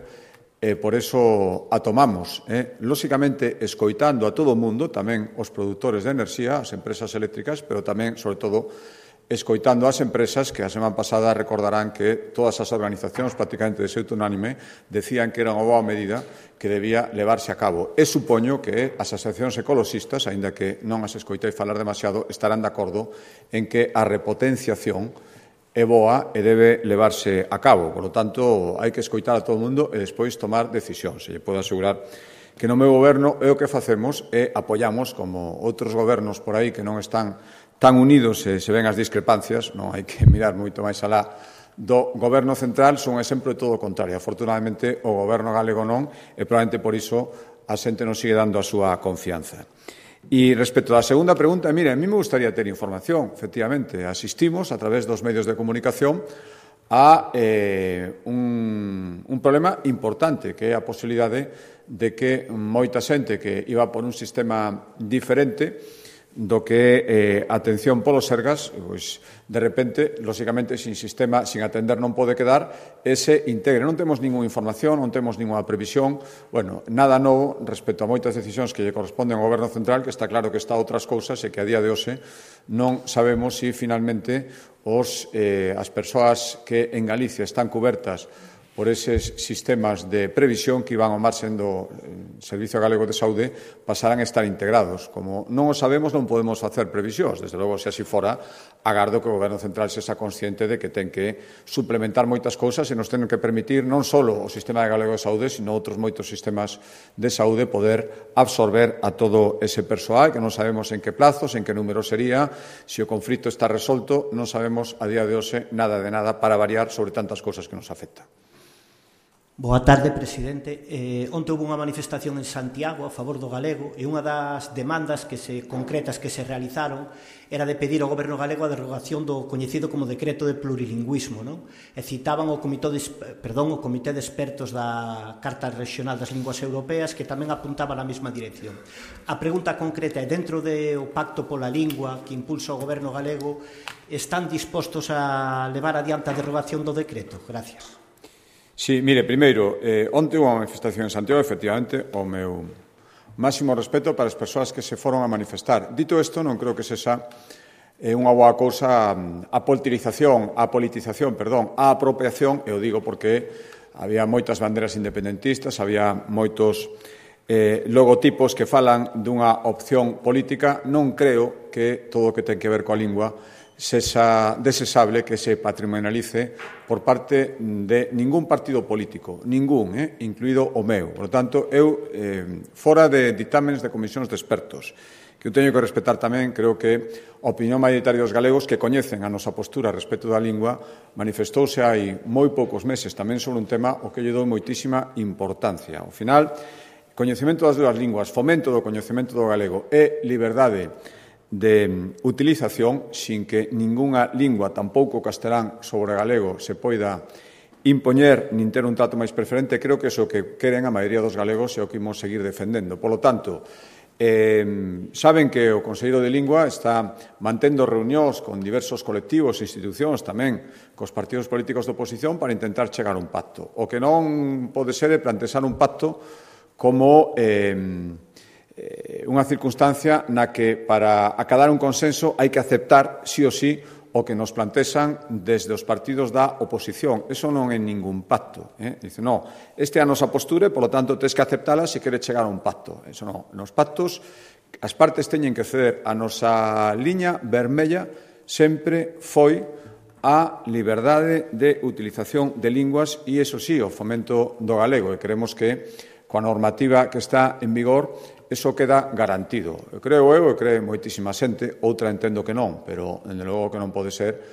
e por eso a tomamos. Lóxicamente, escoitando a todo o mundo, tamén os produtores de enerxía, as empresas eléctricas, pero tamén, sobre todo, escoitando as empresas que a semana pasada recordarán que todas as organizacións prácticamente de xeito unánime decían que era unha boa medida que debía levarse a cabo. E supoño que as asociacións ecoloxistas, aínda que non as escoitei falar demasiado, estarán de acordo en que a repotenciación é boa e debe levarse a cabo. Por lo tanto, hai que escoitar a todo o mundo e despois tomar decisións. E podo asegurar que no meu goberno é o que facemos e apoiamos, como outros gobernos por aí que non están tan unidos e se ven as discrepancias, non hai que mirar moito máis alá do goberno central, son un exemplo de todo o contrario. Afortunadamente, o goberno galego non, e probablemente por iso a xente non sigue dando a súa confianza. E respecto á segunda pregunta, mire, a mí me gustaría ter información, efectivamente. Asistimos, a través dos medios de comunicación, a un problema importante, que é a posibilidade de que moita xente que iba por un sistema diferente do que atención polos Sergas, pois, de repente, lóxicamente, sin sistema, sin atender non pode quedar, ese integre. Non temos ninguna información, non temos ninguna previsión, nada novo respecto a moitas decisións que lle corresponden ao Goberno Central, que está claro que está a outras cousas e que a día de hoxe non sabemos se finalmente as persoas que en Galicia están cubertas por eses sistemas de previsión que iban ao marxen do Servicio Galego de Saúde pasarán a estar integrados. Como non o sabemos, non podemos facer previsións. Desde logo, se así fora, agardo que o Goberno Central sexa consciente de que ten que suplementar moitas cousas e nos ten que permitir non só o Sistema Galego de Saúde, sino outros moitos sistemas de saúde poder absorber a todo ese persoal, que non sabemos en que plazos, en que número sería, se o conflito está resolto, non sabemos a día de hoxe nada de nada para variar sobre tantas cousas que nos afectan. Boa tarde, presidente. Onte houve unha manifestación en Santiago a favor do galego e unha das demandas concretas que se realizaron era de pedir ao Goberno galego a derogación do coñecido como decreto de plurilingüismo, non? E citaban o Comité de Expertos da Carta Regional das Linguas Europeas que tamén apuntaba na mesma dirección. A pregunta concreta é, dentro do Pacto pola Lingua que impulsa o Goberno galego, están dispostos a levar adiante a derogación do decreto? Gracias. Sí, mire, primeiro, onte houve unha manifestación en Santiago, efectivamente, o meu máximo respeto para as persoas que se foron a manifestar. Dito isto, non creo que sexa unha boa cousa a politización, a apropiación, e o digo porque había moitas banderas independentistas, había moitos logotipos que falan dunha opción política. Non creo que todo o que ten que ver coa lingua sexa desesable que se patrimonialice por parte de ningún partido político, ningún, incluído o meu. Por lo tanto, eu, fora de ditámenes de comisións de expertos, que eu teño que respetar tamén, creo que a opinión mayoritaria dos galegos que coñecen a nosa postura respecto da lingua manifestouse hai moi poucos meses tamén sobre un tema ao que lle dou moitísima importancia. Ao final, coñecemento das dúas linguas, fomento do coñecemento do galego e liberdade de utilización sin que ningunha lingua, tampouco o castelán sobre o galego, se poida impoñer nin ter un trato máis preferente. Creo que é o que queren a maioría dos galegos e o que imos seguir defendendo. Por lo tanto, saben que o Conselleiro de Lingua está mantendo reunións con diversos colectivos e institucións, tamén cos partidos políticos de oposición, para intentar chegar a un pacto. O que non pode ser é plantexar un pacto como unha circunstancia na que para acadar un consenso hai que aceptar sí ou sí o que nos plantexan desde os partidos da oposición. Eso non é ningún pacto. Dice, non, este é a nosa postura e, polo tanto, tens que aceptala se queres chegar a un pacto. Eso non. Nos pactos, as partes teñen que ceder. A nosa liña vermella sempre foi a liberdade de utilización de linguas e, eso sí, o fomento do galego. E queremos que, coa normativa que está en vigor, eso queda garantido. Creo eu e creo moitísima xente, outra entendo que non, pero, dende logo, que non pode ser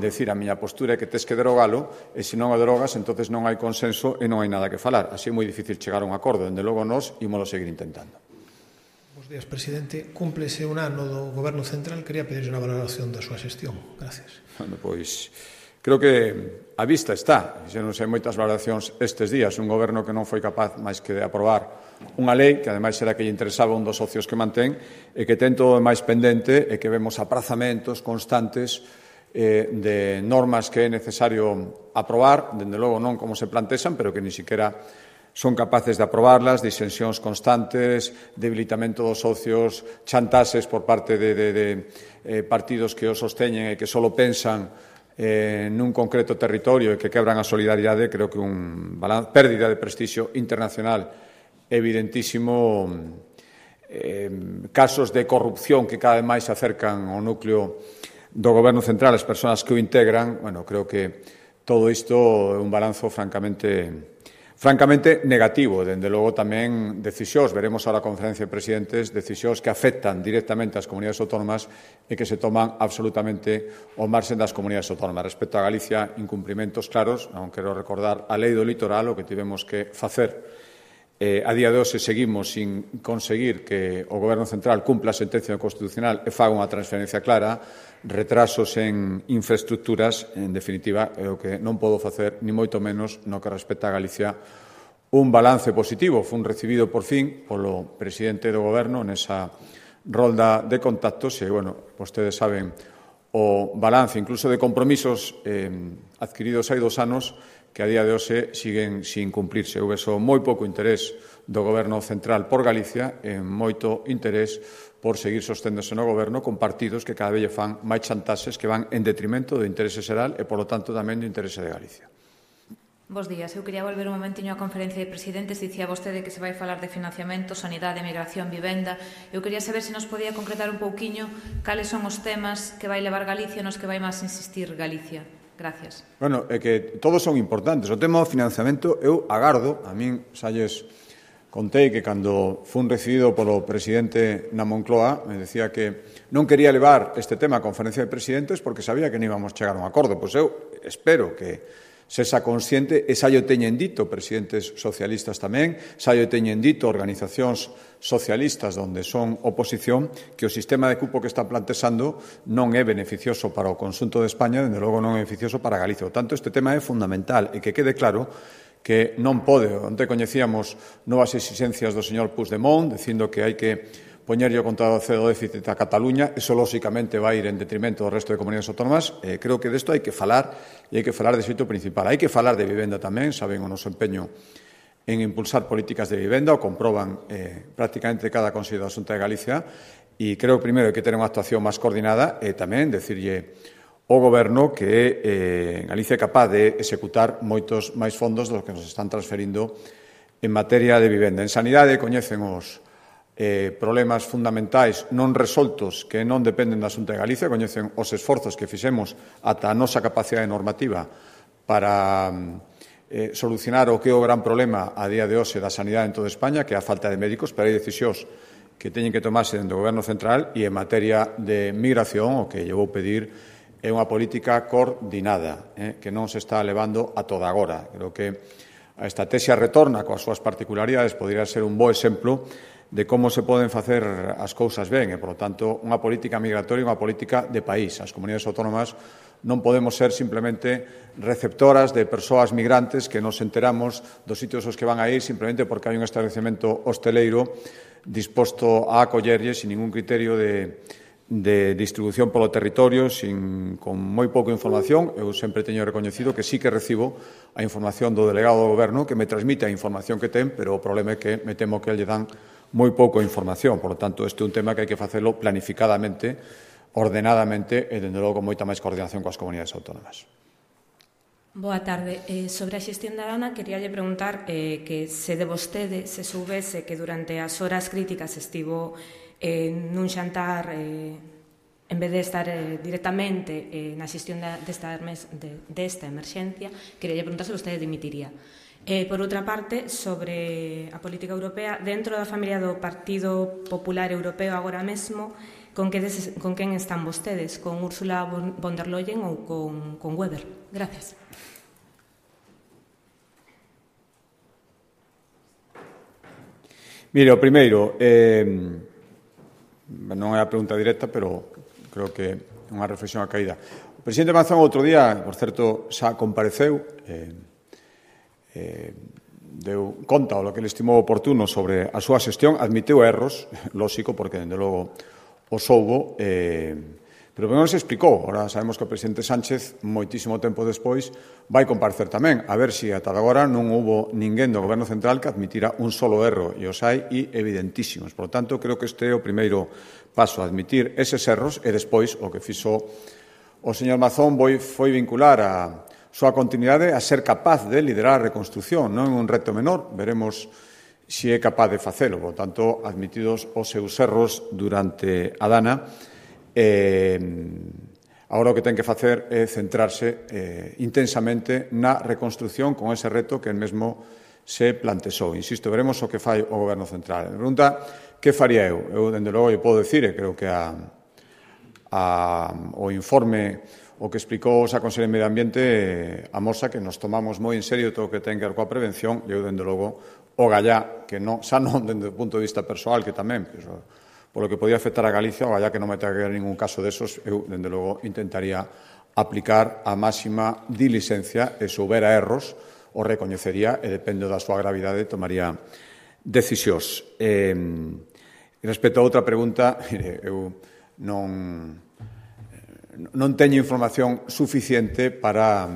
decir a miña postura é que tes que derogalo e se non o derogas, entonces non hai consenso e non hai nada que falar. Así é moi difícil chegar a un acordo. Dende logo, nós ímolo seguir intentando. Bos días, presidente. Cúmplese un ano do Goberno Central. Quería pedirle unha valoración da súa xestión. Gracias. Bueno, pois, creo que a vista está. Xa non sei moitas valoracións estes días. Un goberno que non foi capaz máis que de aprobar unha lei que, ademais, era que lle interesaba un dos socios que mantén e que ten todo máis pendente e que vemos aprazamentos constantes de normas que é necesario aprobar, dende logo non como se plantexan, pero que ni siquiera son capaces de aprobarlas, disensións constantes, debilitamento dos socios, chantaxes por parte de partidos que o sosteñen e que só pensan nun concreto territorio e que quebran a solidaridade. Creo que pérdida de prestixio internacional evidentísimo, casos de corrupción que cada vez máis se acercan ao núcleo do Goberno Central, as persoas que o integran. Bueno, creo que todo isto é un balanzo francamente negativo. Dende logo, tamén decisións, veremos ahora a conferencia de presidentes, decisións que afectan directamente ás comunidades autónomas e que se toman absolutamente ao marxen das comunidades autónomas. Respecto a Galicia, incumprimentos claros. Non quero recordar a lei do litoral, o que tivemos que facer. A día de hoxe seguimos sin conseguir que o Goberno Central cumpla a sentencia constitucional e faga unha transferencia clara, retrasos en infraestructuras. En definitiva, é o que non podo facer, ni moito menos no que respecta a Galicia, un balance positivo. Fun recibido por fin polo presidente do Goberno nesa rolda de contactos e, bueno, vostedes saben o balance incluso de compromisos adquiridos hai 2 anos que a día de hoxe siguen sin cumplirse. Houve moi pouco interés do Goberno Central por Galicia e moito interés por seguir sosténdose no Goberno con partidos que cada vez fan máis chantaxes que van en detrimento do interese xeral e, polo tanto, tamén do interese de Galicia. Bos días. Eu quería volver un momentiño á conferencia de presidentes. Dicía vostede que se vai falar de financiamento, sanidade, migración, vivenda. Eu quería saber se nos podía concretar un pouquiño cales son os temas que vai levar Galicia nos que vai máis insistir Galicia. Gracias. Bueno, é que todos son importantes. O tema do financiamento, eu agardo, a min salles contei que cando fun recibido polo presidente na Moncloa me decía que non quería levar este tema á conferencia de presidentes porque sabía que non íbamos chegar a un acordo. Pois eu espero que sesa consciente, e xa yo teñen dito presidentes socialistas tamén, xa yo teñen dito organizacións socialistas onde son oposición, que o sistema de cupo que está plantexando non é beneficioso para o conxunto de España, dende logo non é beneficioso para Galicia. Por tanto, este tema é fundamental e que quede claro que non pode. Onte coñecíamos novas exigencias do señor Puigdemont dicindo que hai que poñerlle o contado do déficit a Cataluña, eso lóxicamente vai ir en detrimento do resto de comunidades autónomas. Creo que desto hai que falar e hai que falar de xeito principal. Hai que falar de vivenda tamén, saben o noso empeño en impulsar políticas de vivenda, o comproban prácticamente cada Consello da Xunta de Galicia, e creo que primeiro hai que ter unha actuación máis coordinada e tamén decirlle ao Goberno que Galicia é capaz de executar moitos máis fondos dos que nos están transferindo en materia de vivenda. En sanidade coñecen os problemas fundamentais non resoltos que non dependen da Xunta de Galicia, coñecen os esforzos que fixemos ata a nosa capacidade normativa para solucionar o que é o gran problema a día de hoxe da sanidade en toda España, que é a falta de médicos, pero hai decisións que teñen que tomarse dentro do Goberno central, e en materia de migración o que lle vou pedir é unha política coordinada, que non se está levando a toda agora. Creo que a estrategia retorna coas súas particularidades podría ser un bo exemplo de como se poden facer as cousas ben e, por lo tanto, unha política migratoria e unha política de país. As comunidades autónomas non podemos ser simplemente receptoras de persoas migrantes que nos enteramos dos sitios aos que van a ir simplemente porque hai un establecemento hosteleiro disposto a acollerlle sin ningún criterio de distribución polo territorio, con moi pouca información. Eu sempre teño recoñecido que sí que recibo a información do delegado do Goberno que me transmite a información que ten, pero o problema é que me temo que lle dan moi pouca información. Por lo tanto, este é un tema que hai que facelo planificadamente, ordenadamente e, dende logo, con moita máis coordinación coas comunidades autónomas. Boa tarde. Sobre a xestión da Dana, queríalle preguntar que se de vostede se soubese que durante as horas críticas estivo nun xantar en vez de estar directamente na xestión desta emerxencia, queríalle preguntar se vostede dimitiría. Por outra parte, sobre a política europea, dentro da familia do Partido Popular Europeo agora mesmo, con quen están vostedes? Con Ursula von der Leyen ou con Weber? Gracias. Mire, o primeiro, non é a pregunta directa, pero creo que é unha reflexión a caída. O presidente Mazón outro día, por certo, xa compareceu, deu conta o que ele estimou oportuno sobre a súa xestión, admitiu erros, lóxico, porque, dende logo, o soubo, pero non se explicou. Ahora sabemos que o presidente Sánchez, moitísimo tempo despois, vai comparecer tamén, a ver se ata agora non houbo ninguén do Goberno Central que admitira un solo erro, e os hai evidentísimos. Por lo tanto, creo que este é o primeiro paso, admitir eses erros, e despois o que fixo o señor Mazón foi vincular a súa continuidade a ser capaz de liderar a reconstrucción. Non é un reto menor, veremos se é capaz de facelo. Por tanto, admitidos os seus erros durante a Dana, agora o que ten que facer é centrarse intensamente na reconstrucción con ese reto que el mesmo se plantexou. Insisto, veremos o que fai o Goberno Central. Me pregunta que faría eu. Eu, dende logo, eu podo dicir, e creo que o informe o que explicou a Conselleira de Medio Ambiente amosa que nos tomamos moi en serio todo o que ten que ver coa prevención. Eu, dende logo, o gallá, que non, xa non dende o punto de vista persoal, que tamén, polo que podía afectar a Galicia, o gallá que non me tenga que ver ningún caso desos, eu, dende logo, intentaría aplicar a máxima diligencia e se houbera erros, o recoñecería e, depende da súa gravidade, tomaría decisións. Respecto a outra pregunta, eu non teño información suficiente para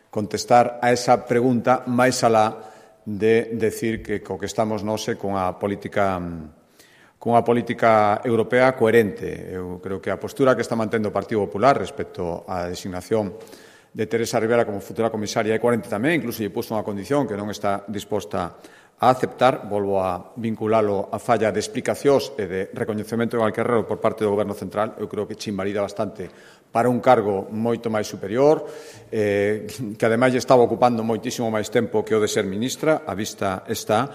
contestar a esa pregunta máis alá de decir que co que estamos nós é con a política europea coherente. Eu creo que a postura que está mantendo o Partido Popular respecto á designación de Teresa Rivera como futura comisaria E40 tamén, incluso lle puso unha condición que non está disposta a aceptar. Volvo a vinculalo a falla de explicacións e de recoñecemento de Valcarrero por parte do Goberno Central. Eu creo que che invalida bastante para un cargo moito máis superior, que ademais lle estaba ocupando moitísimo máis tempo que o de ser ministra, a vista está,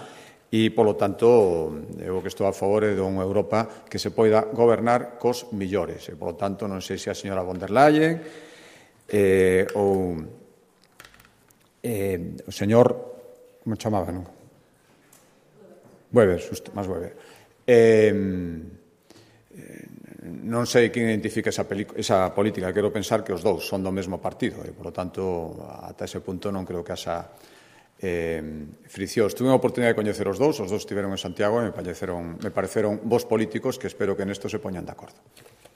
e, polo tanto, eu que estou a favor de unha Europa que se poida gobernar cos millores. E, polo tanto, non sei se a señora von der Leyen ou o señor, como chamaba, non? Weber, máis Weber. Non sei quen identifica esa política. Quero pensar que os dous son do mesmo partido e, por lo tanto, ata ese punto non creo que haxa friccións. Tuve unha oportunidade de coñecer os dous estiveron en Santiago e me pareceron bons políticos que espero que nesto se poñan de acordo.